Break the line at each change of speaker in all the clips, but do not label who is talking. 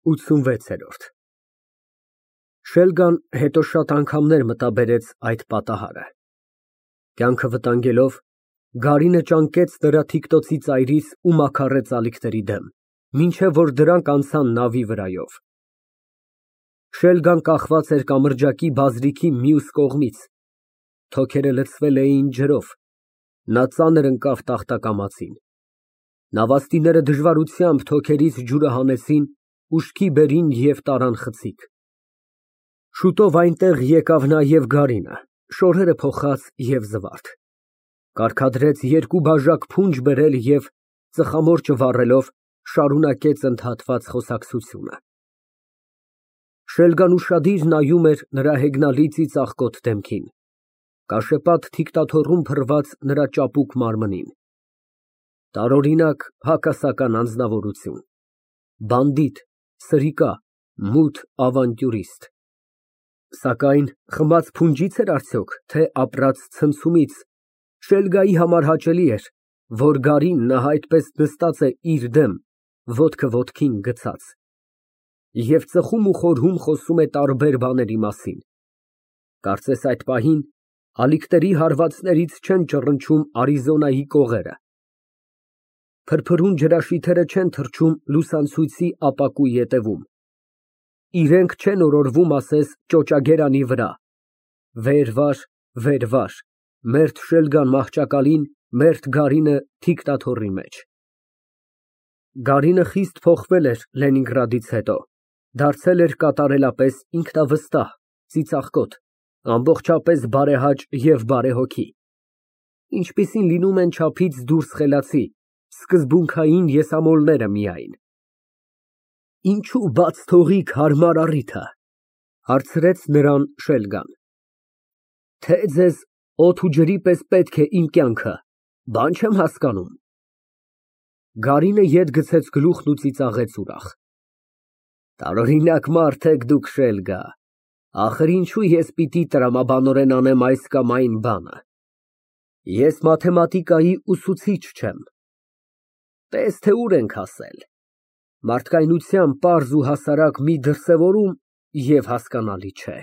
86։ Շելգան հետո շատ անգամներ մտաբերեց այդ պատահարը։ Կյանքը վտանգելով, Գարինը ճանկեց նրա թիկնոցի ծայրից ու մաքարեց ալիքների դեմ, մինչև որ դրանք անցան նավի վրայով։ Շելգան կախված էր կամրջակի բազրիքի մյուս կողմից, թոքերը լցվել էին ջրով, նա ծանր ընկավ տախտակամածին։ Նավաստիները դժվարությամբ թոքերից ջուրը հանեցին, ուշքի բերին և տարան խցիկ։ Շուտով այնտեղ եկավ նաև Գարինը, շորերը փոխած և զվարթ, կարգադրեց երկու բաժակ փունջ բերել և, ծխամորճը վառելով, շարունակեց ընդհատված խոսակցությունը։ Շելգան ուշադիր նայում էր նրա հեգնալի ծիծաղկոտ դեմքին, կաշեպատ թիկնաթոռում փռված նրա ճապուկ մարմնին։ Տարօրինակ հակասական անձնավորություն, բանդիտ, սրիկա, մութ ավանտյուրիստ։ Սակայն խմած փունջի՞ց էր արդյոք, թե ապրած ցնցումից, Շելգայի համար հաճելի էր, որ Գարին նա այդպես նստած է իր դեմ, ոտքը ոտքին գցած, և ծխում ու խորհում խոսում է տարբեր բաների մասին։ Կարծես այդ պահին ալիքների հարվածներից չեն ճռնչում Արիզոնայի կողերը, փրփրուն ջրաշիթերը չեն թռչում լուսանցույցի ապակու ետևում, իրենք չեն օրորվում ասես ճոճագերանի վրա, վեր վար, մերթ Շելգան մահճակալին, մերթ Գարինը թիկնաթոռի մեջ։ Գարինը խիստ փոխվել էր Լենինգրադից հետո, դարձել էր կատարելապես ինքնավստահ, ծիծաղկոտ, ամբողջապես բարեհաճ և բարեհոգի, ինչպիսին լինում են չափից դուրս խելացի, սկզբունքային եսամոլները միայն։ Ինչո՞ւ բաց թողիք հարմար առիթը, հարցրեց նրան Շելգան։ Թե ձեզ օդ ու ջրի պես պետք է իմ կյանքը, բան չեմ հասկանում։ Գարինը ետ գցեց գլուխն ու ծիծաղեց ուրախ։ Տարօրինակ մարդ եք դուք, Շելգա, ախր ինչու ես պիտի տրամաբանորեն անեմ այս կամ այն բանը։ Ես մաթեմատիկայի ուսուցիչ չեմ։ Տես թե ուր ենք հասել։ Մարդկայնության պարզ ու հասարակ մի դրսևորում և հասկանալի չէ։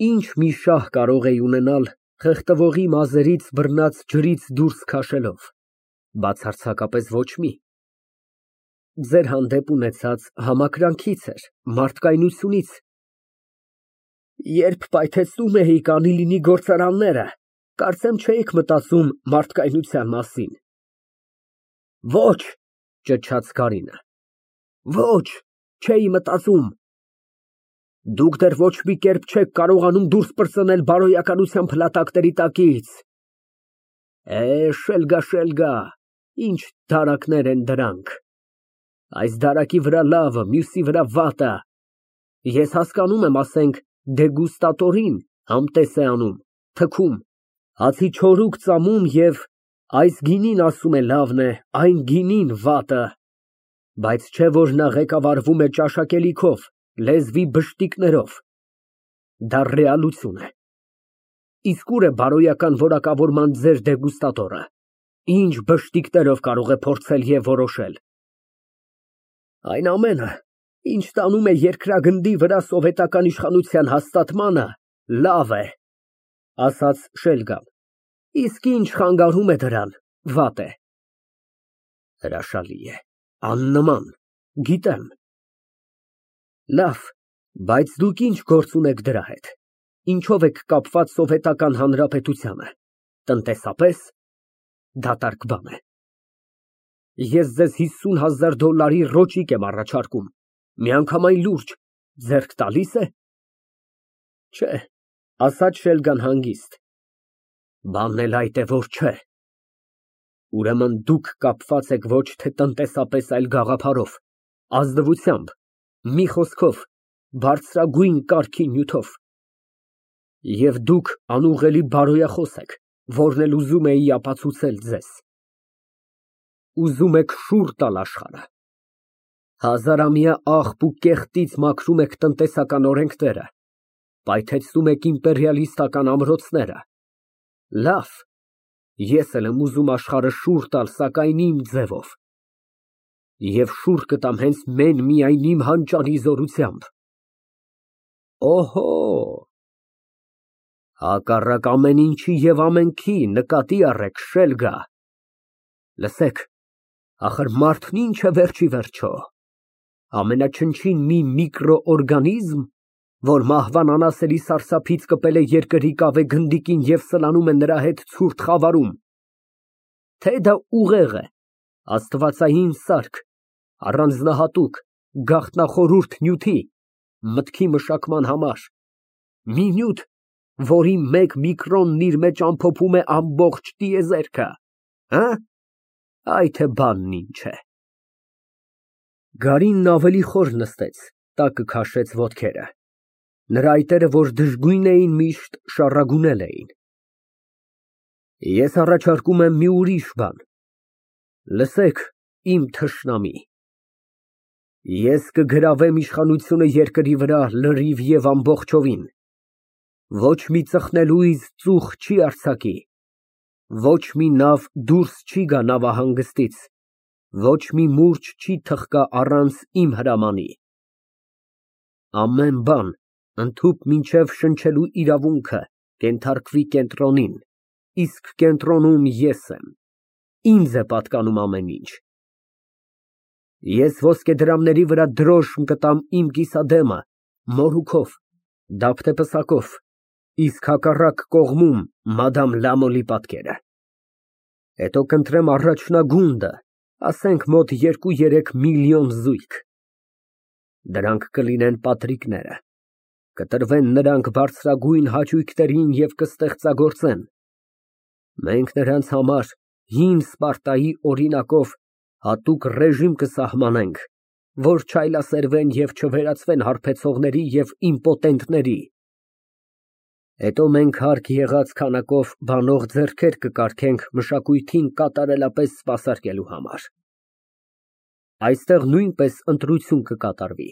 Ինչ մի շահ կարող էի ունենալ խեղդվողի մազերից բռնած ջրից դուրս քաշելով, բացարձակապես ոչ մի։ Ձեր հանդեպ ունեցած համակրանքից էր, մարդկայնությունից։ Երբ պայթեցնում էիք անի լինի գործարանները, կարծեմ չէիք մտածում մարդկայնության մասին։ Ոչ, ճչաց Գարինը, ոչ, չէի մտածում։ Դուք դեռ ոչ մի կերպ չեք կարողանում դուրս պրծնել բարոյականության փլատակների տակից։ Շելգա, ինչ դարակներ են դրանք։ Այս դարակի վրա լավը, մյուսի վրա վատը։ Ես հասկանում եմ, ասենք, դեգուստատորին համտես է անում, թքում, հացի չորուկ ծամում և այս գինին ասում է լավն է, այն գինին վատը, բայց չէ որ նա ղեկավարվում է ճաշակելիքով, լեզվի բշտիկներով։ Դա ռեալություն է։ Իսկ ուր է բարոյական որակավորման ձեր դեգուստատորը, ինչ բշտիկներով կարող է փորձել և որոշել։ Այն ամենը, ինչ տանում է երկրագնդի վրա սովետական իշխանության հաստատմանը, լավ է, ասաց Շելգան, իսկ ինչ խանգարում է դրան, վատ է։ Հրաշալի է, աննման, գիտեմ։ Լավ, բայց դուք ինչ գործ ունեք դրա հետ, ինչով եք կապված Սովետական Հանրապետությանը, տնտեսապես, դատարկ բան է։ Ես ձեզ $50,000 ռոճիկ եմ առաջարկում, միանգամայն լուրջ, ձեռք տալի՞ս է։ Չէ, ասաց Շելգան հանգիստ, բանն էլ այդ է, որ չէ։ Ուրեմն դուք կապված եք ոչ թե տնտեսապես, այլ գաղափարով, ազնվությամբ, մի խոսքով, բարձրագույն կարգի նյութով։ Եվ դուք անուղղելի բարոյախոս եք, որն էլ ուզում էի ապացուցել ձեզ։ Ուզում եք շուռ տալ աշխարհը։ Հազարամյա աղբ ու կեղտից մաքրում եք տնտեսական օրենքները, պայթեցնում եք իմպերիալիստական ամրոցները։ Լավ, ես էլ եմ ուզում աշխարհը շուռ տալ, սակայն իմ ձևով։ Եվ շուռ կտամ հենց միայն իմ հանճարի զորությամբ։ Օհո, հակառակ ամեն ինչի և ամենքի նկատի առեք, շելգա։ Լսեք, ախր մարդն ինչ է վերջ ի վերջո, ամենաչնչին մի միկրոօրգանիզմ, որ մահվան անասելի սարսափից կպել է երկրի կավե գնդիկին և սլանում է նրա հետ ցուրտ խավարում, թե դա ուղեղ է, աստվածային սարք, առանձնահատուկ, գաղտնախորհուրդ նյութի, մտքի մշակման համար, մի նյութ, որի մեկ միկրոնն իր մեջ ամփոփում է ամբողջ տիեզերքը, այ թե բանն ինչ է։ Գարինն ավելի խոր նստեց, տակը քաշեց ոտքերը, նրա այտերը, որ դժգույն էին միշտ, շառագունել էին։ Ես առաջարկում եմ մի ուրիշ բան, լսեք, իմ թշնամի, ես կգրավեմ իշխանությունը երկրի վրա լրիվ և ամբողջովին, ոչ մի ծխնելույզ ծուխ չի արձակի, ոչ մի նավ դուրս չի գա նավահանգստից, ոչ մի մուրջ չի թխկա առանց իմ հրամանի, ամեն բան ընդհուպ մինչև շնչելու իրավունքը կենթարկվի կենտրոնին, իսկ կենտրոնում ես եմ, ինձ է պատկանում ամեն ինչ։ Ես ոսկեդրամների վրա դրոշմ կտամ իմ կիսադեմը, մորուքով, դափ թե պսակով, իսկ հակառակ կողմում մադամ Լամոլի պատկերը։ Հետո կընտրեմ առաջնագունդը, ասենք մոտ 2-3 միլիոն զույգ։ Դրանք կլինեն պատրիկները, կտրվեն նրանք բարձրագույն հաճույքներին և կստեղծագործեն։ Մենք նրանց համար հին Սպարտայի օրինակով հատուկ ռեժիմ կսահմանենք, որ չայլասերվեն և չվերածվեն հարբեցողների և իմպոտենտների։ Հետո մենք հարկ եղած քանակով բանող ձեռքեր կկարգենք մշակույթին կատարելապես սպասարկելու համար։ Այստեղ նույնպես ընտրություն կկատարվի։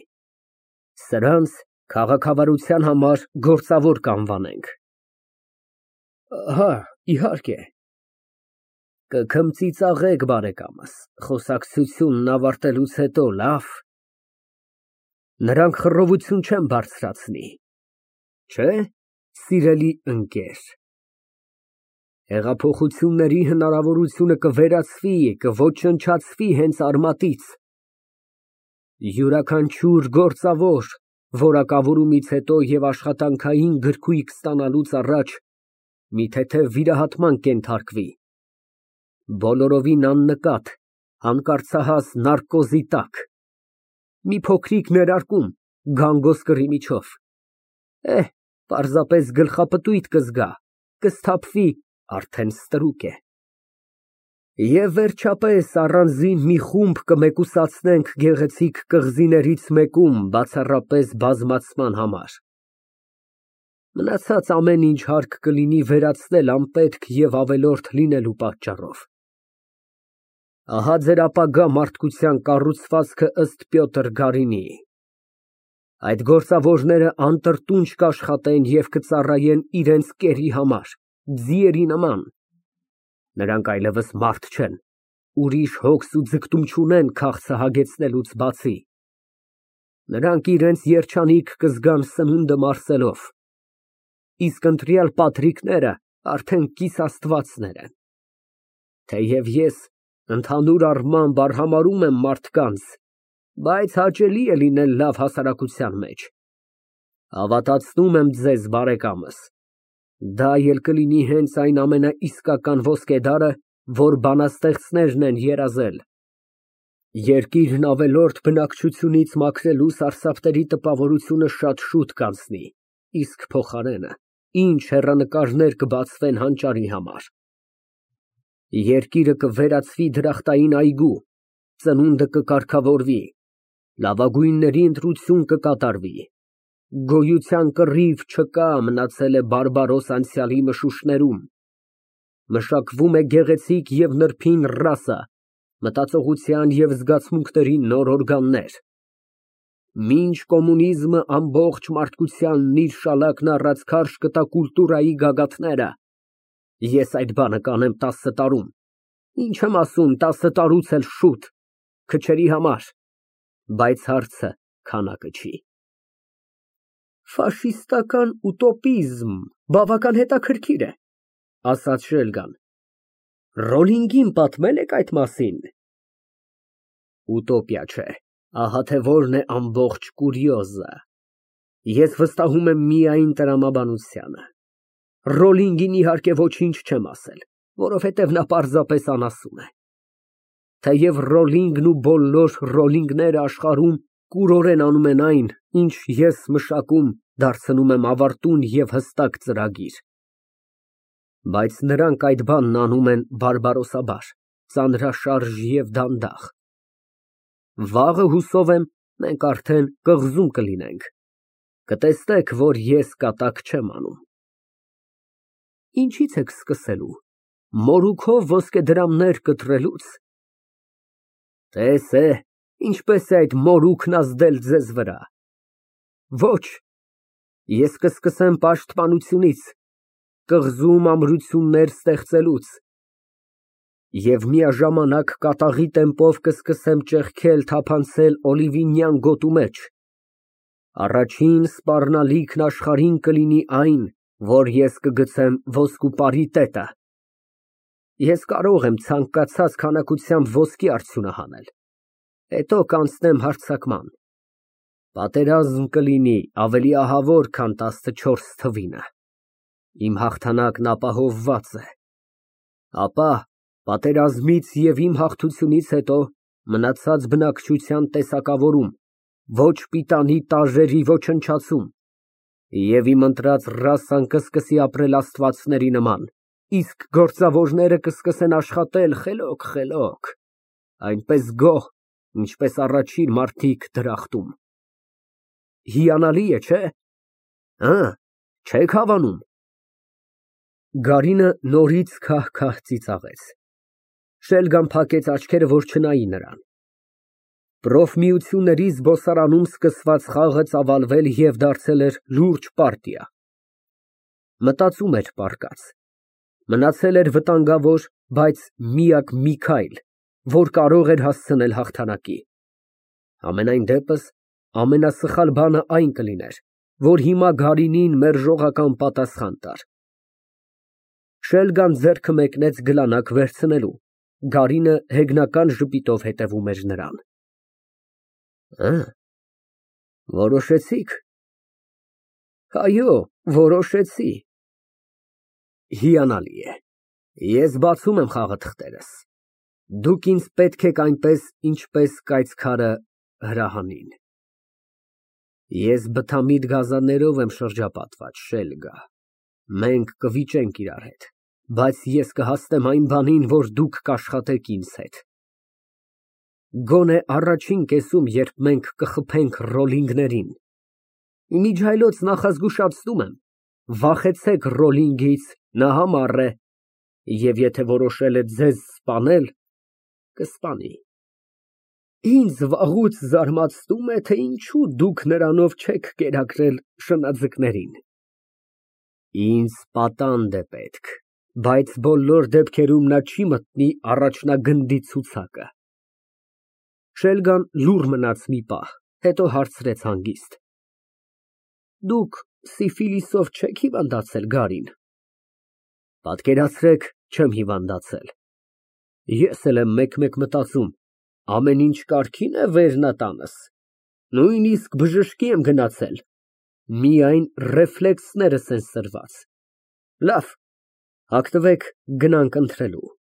Սրանց քաղաքավարության համար գործավոր կանվանենք։ Հա, իհարկե։ Կքմծիծաղեք, բարեկամս, խոսակցությունն ավարտելուց հետո, լավ։ Նրանք խռովություն չեն բարձրացնի, չէ՞, սիրելի ընկեր։ Հեղափոխությունների հնարավորությունը կվերացվի, կոչնչացվի հենց արմատից։ Յուրաքանչյուր գործավոր որակավորումից հետո և աշխատանքային գրքույկ ստանալուց առաջ մի թեթև վիրահատման կենթարկվի, բոլորովին աննկատ, հանկարծահաս նարկոզի տակ, մի փոքրիկ ներարկում գանգոսկրի միջով, պարզապես գլխապտույտ կզգա, կսթափվի, արդեն ստրուկ է։ Եվ վերջապես առանձին մի խումբ կմեկուսացնենք գեղեցիկ կղզիներից մեկում բացառապես բազմացման համար։ Մնացած ամեն ինչ հարկ կլինի վերացնել անպետք և ավելորդ լինելու պատճառով։ Ահա ձեր ապագա մարդկության կառուցվածքը ըստ Պյոտր Գարինիի։ Այդ գործավորները անտրտունջ կաշխատեն և կծառայեն իրենց կերի համար, ձիերի նման։ Նրանք այլևս մարդ չեն, ուրիշ հոգս ու ձգտում չունեն քաղցը հագեցնելուց բացի։ Նրանք իրենց երջանիկ կզգան սնունդը մարսելով, իսկ ընտրյալ պատրիկները արդեն կիսաստվածներ են։ Թեև ես ընդհանուր առմամբ արհամարհում եմ մարդկանց, բայց հաճելի է լինել լավ հասարակության մեջ։ Հավատացնում եմ ձեզ, բարեկամս, դա էլ կլինի հենց այն ամենաիսկական ոսկեդարը, որ բանաստեղծներն են երազել։ Երկիրն ավելորդ բնակչությունից մաքրելու սարսափների տպավորությունը շատ շուտ կանցնի, իսկ փոխարենը ինչ հեռանկարներ կբացվեն հանճարի համար։ Երկիրը կվերածվի դրախտային այգու, ծնունդը կկարգավորվի, լավագույնների ընտրություն կկատարվի, գոյության կռիվ չկա, մնացել է բարբարոս անցյալի մշուշներում, մշակվում է գեղեցիկ և նրբին ռասա, մտածողության և զգացմունքների նոր օրգաններ։ Մինչ կոմունիզմը ամբողջ մարդկությանն իր շալակն առած քարշ կտա կուլտուրայի գագաթները, ես այդ բանը կանեմ 10 տարում, ինչ եմ ասում, 10 տարուց էլ շուտ, քչերի համար, բայց հարցը քանակը չի։ Ֆաշիստական ուտոպիզմ բավական հետաքրքիր է, ասաց Շելգան։ Ռոլինգին պատմել եք այդ մասին։ Ուտոպիա չէ, ահա թե որն է ամբողջ կուրիոզը։ Ես վստահում եմ միայն տրամաբանությանը։ Ռոլինգին իհարկե ոչինչ չեմ ասել, որովհետև նա պարզապես անասուն է։ Թեև Ռոլինգն ու բոլոր Ռոլինգները աշխարհում կուրորեն անում են այն, ինչ ես մշակում, դարձնում եմ ավարտուն և հստակ ծրագիր։ Բայց նրանք այդ բանն անում են բարբարոսաբար, ծանրաշարժ և դանդաղ։ Վաղը, հուսով եմ, մենք արդեն կղզում կլինենք, կտեսնեք, որ ես կատակ չեմ անում։ Ինչից եք սկսելու, մորուքով ոսկեդրամներ կտրելուց։ Տես է, ինչպես է այդ մորուքն ազդել ձեզ վրա։ Ոչ, ես կսկսեմ պաշտպանությունից, կղզում ամրություններ ստեղծելուց և միաժամանակ կատաղի տեմպով կսկսեմ ճեղքել, թափանցել օլիվինյան գոտու մեջ։ Առաջին սպառնալիքն աշխարհին կլինի այն, որ ես կգցեմ ոսկու պարիտետը։ Ես կարող եմ ցանկացած քանակությամբ ոսկի արդյունահանել, հետո կանցնեմ հարձակման։ Պատերազմ կլինի ավելի ահավոր, քան 14 թվինը։ Իմ հաղթանակն ապահովված է։ Ապա պատերազմից և իմ հաղթությունից հետո մնացած բնակչության տեսակավորում, ոչ պիտանի տաժերի ոչնչացում, և իմ ընտրած ռասան կսկսի ապրել աստվածների նման, իսկ գործավորները կսկսեն աշխատել խելոք, այնպես գոհ, ինչպես առաջին մարդիկ դրախտում։ Հիանալի է, չէ՞։ Չեք հավանում։ Գարինը նորից քահ-քահ ծիծաղեց։ Շելգան փակեց աչքերը, որ չնայի նրան։ Պրոֆմիությունների զբոսարանում սկսված խաղը ծավալվել և դարձել էր լուրջ պարտիա։ Մտածում էր պառկած։ Մնացել էր վտանգավոր, բայց միակ մի քայլ, որ կարող էր հասցնել հաղթանակի։ Համենայն դեպս, ամենասխալ բանը այն կլիներ, որ հիմա Գարինին մերժողական պատասխան տար։ Շելգան ձեռքը մեկնեց գլանակ վերցնելու, Գարինը հեգնական ժպիտով հետևում էր նրան։ Որոշեցի՞ք։ Այո, որոշեցի։ Հիանալի է։ Ես բացում եմ խաղաթղթերս։ Դուք ինձ պետք եք այնպես, ինչպես կայծքարը հրահանին։ Ես բթամիտ գազաններով եմ շրջապատված, Շելգա։ Մենք կվիճենք իրար հետ, բայց ես կհասնեմ այն բանին, որ դուք կաշխատեք ինձ հետ։ Գոնե առաջին կեսում, երբ մենք կխփենք Ռոլինգներին։ Իմիջիայլոց նախազգուշացնում եմ, վախեցեք Ռոլինգից, նա համառ է, և եթե որոշել է ձեզ սպանել, կսպանի։ Ինձ վաղուց զարմացնում է, թե ինչու դուք նրանով չեք կերակրել շնաձկներին։ Ինձ պատանդ է պետք, բայց բոլոր դեպքերում նա չի մտնի առաջնագնդի ցուցակը։ Շելգան լուռ մնաց մի պահ, հետո հարցրեց հանգիստ. Դուք սիֆիլիսով չեք հիվանդացել, Գարին։ Պատկերացրեք, չեմ հիվանդացել։ Ես էլ եմ մեկ-մեկ մտածում, ամեն ինչ կարգի՞ն է վերնատանս։ Նույնիսկ բժշկի եմ գնացել, միայն ռեֆլեքսներս են սրված։ Լավ, հագնվեք, գնանք ընթրելու։